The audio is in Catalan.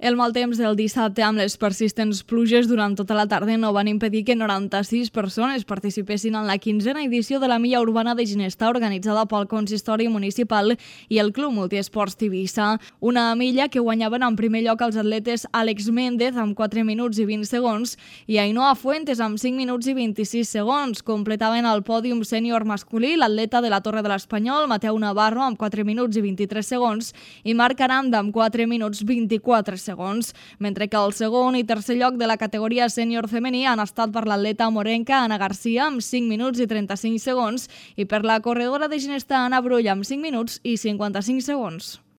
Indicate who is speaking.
Speaker 1: El mal temps del dissabte amb les persistents pluges durant tota la tarda no van impedir que 96 persones participessin en la 15a edició de la Milla Urbana de Ginestar organitzada pel Consistori Municipal i el Club Multiesports Tivissa. Una milla que guanyaven en primer lloc els atletes Àlex Méndez amb 4 minuts i 20 segons i Ainhoa Fuentes amb 5 minuts i 26 segons. Completaven el pòdium sènior masculí l'atleta de la Torre de l'Espanyol, Mateu Navarro, amb 4 minuts i 23 segons i Marc Aranda amb 4 minuts 24 segons, mentre que el segon i tercer lloc de la categoria sènior femení han estat per l'atleta morenca Ana Garcia amb 5 minuts i 35 segons i per la corredora de Ginestar Anna Brull amb 5 minuts i 55 segons.